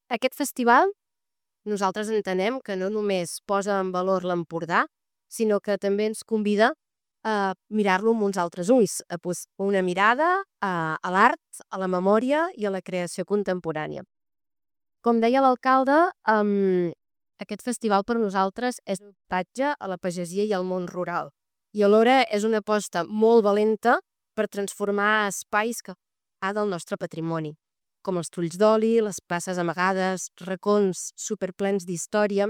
Aquest festival nosaltres entenem que no només posa en valor l'Empordà, sinó que també ens convida a mirar-lo amb uns altres ulls, a posar una mirada a l'art, a la memòria i a la creació contemporània. Com deia l'alcalde, aquest festival per nosaltres és un homenatge a la pagesia i al món rural, i alhora és una aposta molt valenta per transformar espais que del nostre patrimoni, com els trulls d'oli, les places amagades, racons superplens d'història,